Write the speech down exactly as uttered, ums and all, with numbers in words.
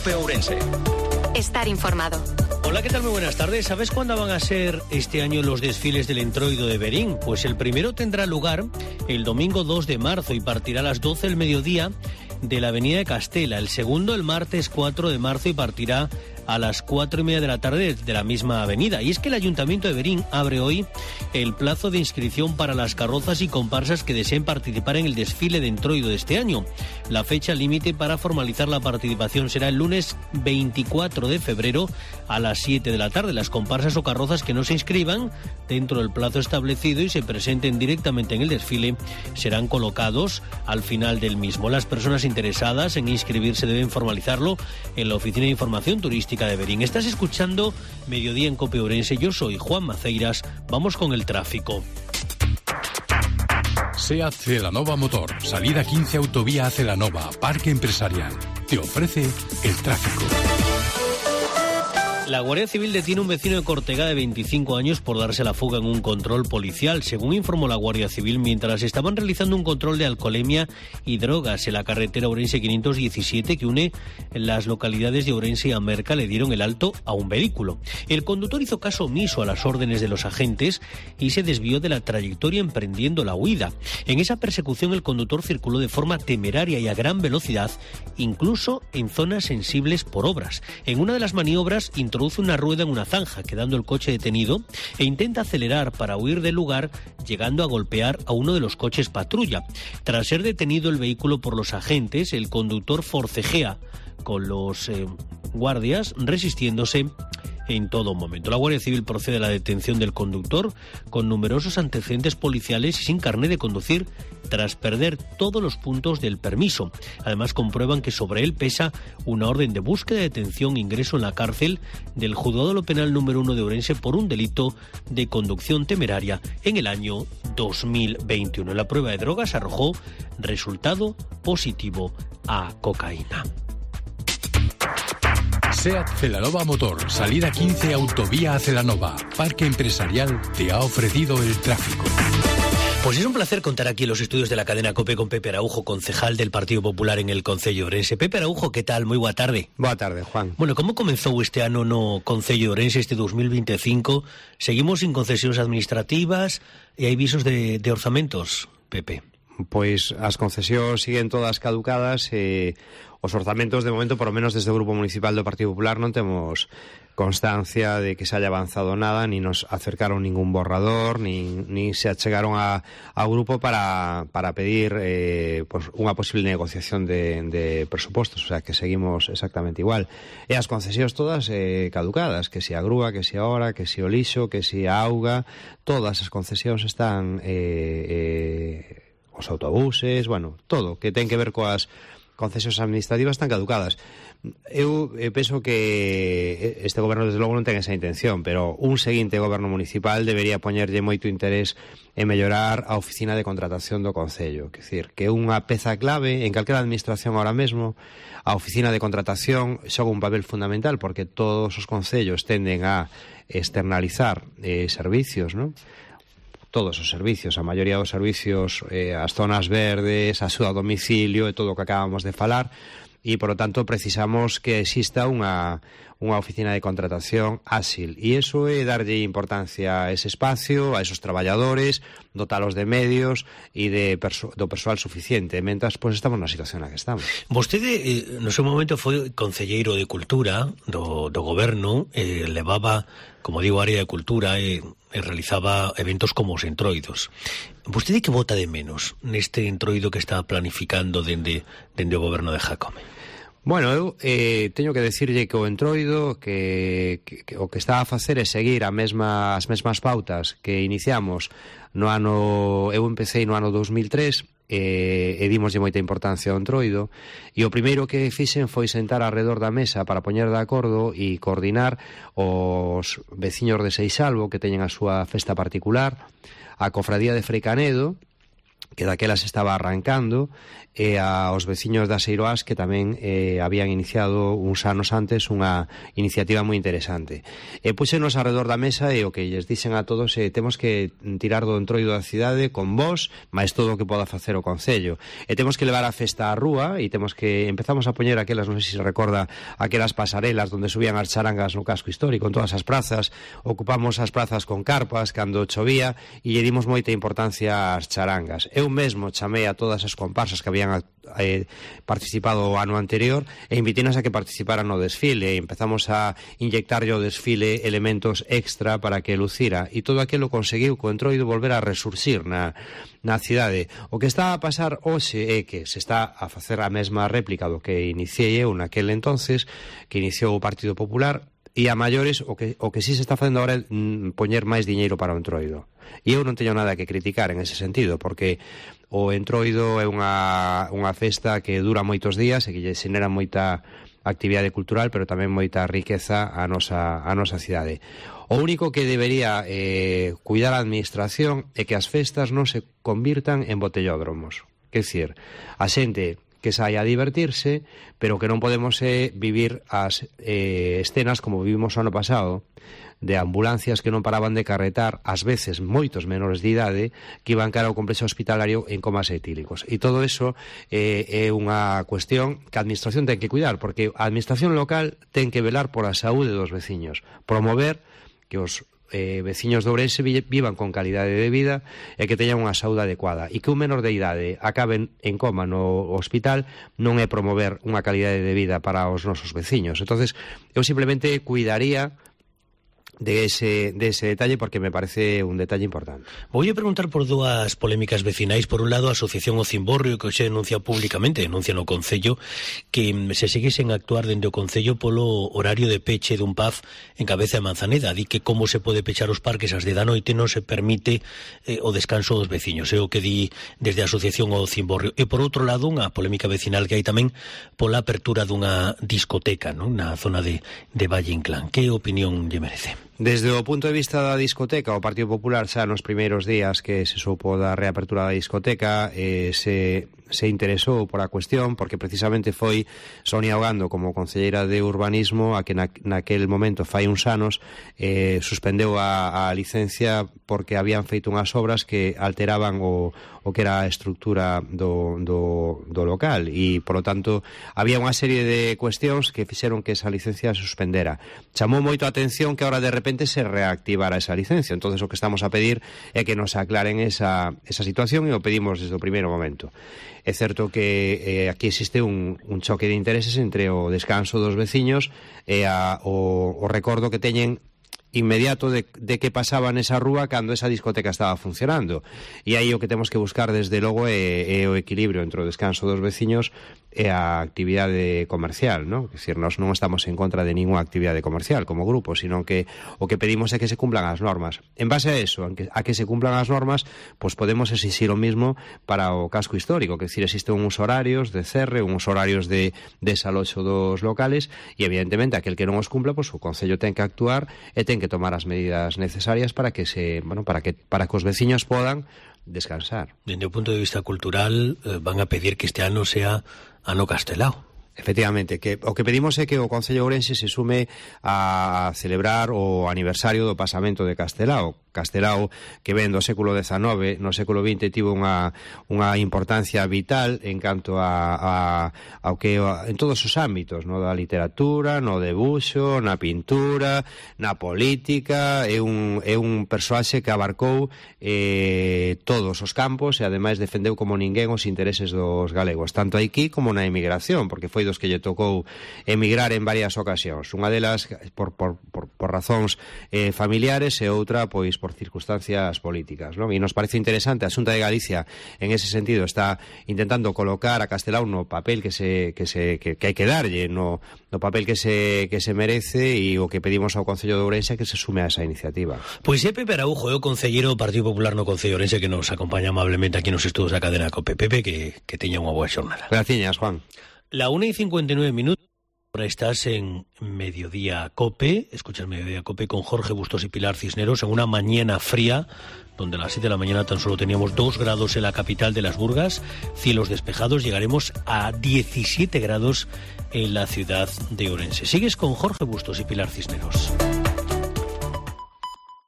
COPE Ourense. Estar informado. Hola, ¿qué tal? Muy buenas tardes. ¿Sabes cuándo van a ser este año los desfiles del Entroido de Verín? Pues el primero tendrá lugar el domingo dos de marzo y partirá a las doce del mediodía de la avenida de Castela. El segundo el martes cuatro de marzo y partirá a las cuatro y media de la tarde de la misma avenida. Y es que el Ayuntamiento de Verín abre hoy el plazo de inscripción para las carrozas y comparsas que deseen participar en el desfile de Entroido de este año. La fecha límite para formalizar la participación será el lunes veinticuatro de febrero a las siete de la tarde. Las comparsas o carrozas que no se inscriban dentro del plazo establecido y se presenten directamente en el desfile serán colocados al final del mismo. Las personas interesadas en inscribirse deben formalizarlo en la Oficina de Información Turística de Verín. Estás escuchando Mediodía en COPE Ourense. Yo soy Juan Maceiras. Vamos con el tráfico. SEAT Celanova Motor, salida quince Autovía a Celanova, Parque Empresarial. Te ofrece el tráfico. La Guardia Civil detiene a un vecino de Cortegada de veinticinco años por darse la fuga en un control policial. Según informó la Guardia Civil, mientras estaban realizando un control de alcoholemia y drogas en la carretera Ourense quinientos diecisiete que une las localidades de Ourense y Amerca, le dieron el alto a un vehículo. El conductor hizo caso omiso a las órdenes de los agentes y se desvió de la trayectoria emprendiendo la huida. En esa persecución el conductor circuló de forma temeraria y a gran velocidad, incluso en zonas sensibles por obras. En una de las maniobras introduce una rueda en una zanja, quedando el coche detenido, e intenta acelerar para huir del lugar, llegando a golpear a uno de los coches patrulla. Tras ser detenido el vehículo por los agentes, el conductor forcejea con los eh, guardias, resistiéndose en todo momento. La Guardia Civil procede a la detención del conductor con numerosos antecedentes policiales y sin carné de conducir tras perder todos los puntos del permiso. Además comprueban que sobre él pesa una orden de búsqueda, detención e ingreso en la cárcel del Juzgado de lo Penal número uno de Ourense por un delito de conducción temeraria en el año dos mil veintiuno. La prueba de drogas arrojó resultado positivo a cocaína. SEAT Celanova Motor, salida quince Autovía a Celanova, Parque Empresarial te ha ofrecido el tráfico. Pues es un placer contar aquí en los estudios de la cadena COPE con Pepe Araujo, concejal del Partido Popular en el Concello de Ourense. Pepe Araujo, ¿qué tal? Muy boa tarde. Boa tarde, Juan. Bueno, ¿cómo comenzou este ano no Concello de Ourense este dos mil veinticinco? Seguimos sin concesións administrativas e hai visos de, de orzamentos, Pepe. Pois as concesións siguen todas caducadas e os orzamentos, de momento, por lo menos desde o Grupo Municipal do Partido Popular, non temos constancia de que se haya avanzado nada, ni nos acercaron ningún borrador, ni, ni se achegaron a, ao grupo para, para pedir eh, pues, unha posible negociación de, de presupostos, o sea que seguimos exactamente igual. E as concesións todas eh, caducadas, que si a grúa, que si a hora, que si o lixo, que si a auga, todas as concesións están eh, eh, os autobuses, bueno, todo que ten que ver coas concesións administrativas están caducadas. Eu eh, penso que este goberno desde logo non ten esa intención, pero un seguinte goberno municipal debería poñerlle moito interés en mellorar a oficina de contratación do Concello, que decir, que é unha peza clave en calquera administración ahora mesmo. A oficina de contratación xoga un papel fundamental porque todos os concellos tenden a externalizar eh, servicios, non? Todos os servicios, a maioría dos servicios, eh, as zonas verdes, a axuda a domicilio e todo o que acabamos de falar, e, por lo tanto, precisamos que exista unha, unha oficina de contratación áxil. E iso é darlle importancia a ese espacio, a esos traballadores, dotalos de medios e de perso- do persoal suficiente, mentras pois, estamos na situación na que estamos. Vostede, eh, no seu momento, foi concelleiro de Cultura do, do goberno, eh, levaba, como digo, área de Cultura e... Eh, e realizaba eventos como os entroidos. Vostede que vota de menos neste entroido que está planificando dende, dende o goberno de Jácome? Bueno, eu eh, teño que decirlle que o entroido que, que, que o que está a facer é seguir a mesma, as mesmas pautas que iniciamos no ano, eu empecé no ano dos mil tres e, e dimoslle moita importancia ao entroido, e o primeiro que fixen foi sentar alrededor da mesa para poñer de acordo e coordinar os veciños de Seixalbo que teñen a súa festa particular, a cofradía de Frei Canedo, que daquela se estaba arrancando, e aos veciños das Eiroas que tamén eh, habían iniciado uns anos antes unha iniciativa moi interesante. E puxenos alrededor da mesa e o que lles dixen a todos é eh, temos que tirar do entroido da cidade con vos, máis todo o que poda facer o Concello. E temos que levar a festa á rúa e temos que empezamos a poñer aquelas, non sei se se recorda, aquelas pasarelas onde subían as charangas no casco histórico, en todas as prazas, ocupamos as prazas con carpas cando chovía e lle dimos moita importancia ás charangas. Eu mesmo chamei a todas as comparsas que habían eh, participado o ano anterior e invitínas a que participaran no desfile e empezamos a inyectarlle ao desfile elementos extra para que lucira e todo aquilo conseguiu co entroido volver a resurxir na, na cidade. O que está a pasar hoxe é que se está a facer a mesma réplica do que iniciei eu naquel entonces, que iniciou o Partido Popular, e a maiores o que, o que sí se está facendo agora é mm, poñer máis diñeiro para o entroido. E eu non teño nada que criticar en ese sentido, porque o entroido é unha, unha festa que dura moitos días e que lle xenera moita actividade cultural, pero tamén moita riqueza a nosa, a nosa cidade. O único que debería eh, cuidar a administración é que as festas non se convirtan en botellódromos. Quer dicir, a xente que saia a divertirse, pero que non podemos eh, vivir as eh, escenas como vivimos o ano pasado, de ambulancias que non paraban de carretar, ás veces moitos menores de idade, que iban cara ao complexo hospitalario en comas etílicos. E todo eso eh, é unha cuestión que a administración ten que cuidar, porque a administración local ten que velar por a saúde dos veciños, promover que os Eh, veciños de Ourense vivan con calidade de vida e que teñan unha saúde adecuada, e que un menor de idade acaben en coma no hospital non é promover unha calidade de vida para os nosos veciños. Entonces eu simplemente cuidaría de ese, de ese detalle, porque me parece un detalle importante. Voy a preguntar por dúas polémicas vecinais. Por un lado, a Asociación O Cimborrio, que hoxe denuncia públicamente, denuncia no Concello, que se segue sen actuar dende o Concello polo horario de peche dun pub en Cabeza de Manzaneda. Di que como se pode pechar os parques ás de da noite non se permite eh, o descanso dos veciños. É o que di desde a Asociación O Cimborrio. E por outro lado, unha polémica vecinal que hai tamén pola apertura dunha discoteca, non, na zona de, de Valle Inclán. Que opinión lle merece? Desde o punto de vista da discoteca, o Partido Popular xa nos primeiros días que se supo da reapertura da discoteca eh, se, se interesou por a cuestión, porque precisamente foi Sonia Ogando como concelleira de Urbanismo a que na, naquel momento fai uns anos eh, suspendeu a, a licencia porque habían feito unhas obras que alteraban o, o que era a estructura do, do, do local e, polo tanto, había unha serie de cuestións que fixeron que esa licencia se suspendera. Chamou moito a atención que ahora de repente se reactivara esa licencia. Entonces o que estamos a pedir é que nos aclaren esa, esa situación e o pedimos desde o primeiro momento. É certo que eh, aquí existe un, un choque de intereses entre o descanso dos veciños e a, o, o recordo que teñen inmediato de, de que pasaba nesa rúa cando esa discoteca estaba funcionando. E aí o que temos que buscar desde logo é, é o equilibrio entre o descanso dos veciños e a actividade comercial, ¿no? É dicir, nós non estamos en contra de ninguna actividade comercial como grupo, sino que o que pedimos é que se cumplan as normas. En base a eso, a que, a que se cumplan as normas, pues podemos exigir o mismo para o casco histórico, que é dicir, existen uns horarios de cerre, uns horarios de desaloxo dos locales, e evidentemente aquel que non os cumpla, pues o Concello ten que actuar e ten que tomar as medidas necesarias para que se, bueno, para que para que os veciños podan descansar. Dende o punto de vista cultural, eh, van a pedir que este ano sea ano Castelao. Efectivamente, que o que pedimos é que o Concello Ourense se sume a celebrar o aniversario do pasamento de Castelao. Castelao, que ven do século dezanove, no século vinte tivo unha, unha importancia vital en canto a, a, ao que en todos os ámbitos, no da literatura, no debuxo, na pintura, na política. É un, é un persoaxe que abarcou eh, todos os campos e ademais defendeu como ninguén os intereses dos galegos, tanto aquí como na emigración, porque foi dos que lle tocou emigrar en varias ocasións. Unha delas por, por, por, por razóns eh, familiares e outra pois por circunstancias políticas, non? E nos parece interesante, a Xunta de Galicia en ese sentido está intentando colocar a Castelao no papel que se que se que, que hai que darlle, no, no papel que se que se merece, e o que pedimos ao Concello de Ourense é que se sume a esa iniciativa. Pois é Pepe Araujo, é o concelleiro do Partido Popular no Concello de Ourense, que nos acompaña amablemente aquí nos estudos da cadena COPE. Pepe, que, que teña unha boa xornada. Graciñas, Juan. La una y cincuenta y nueve minutos. Ahora estás en Mediodía Cope, escuchas Mediodía Cope con Jorge Bustos y Pilar Cisneros en una mañana fría donde a las siete de la mañana tan solo teníamos dos grados en la capital de Las Burgas, cielos despejados, llegaremos a diecisiete grados en la ciudad de Orense. Sigues con Jorge Bustos y Pilar Cisneros.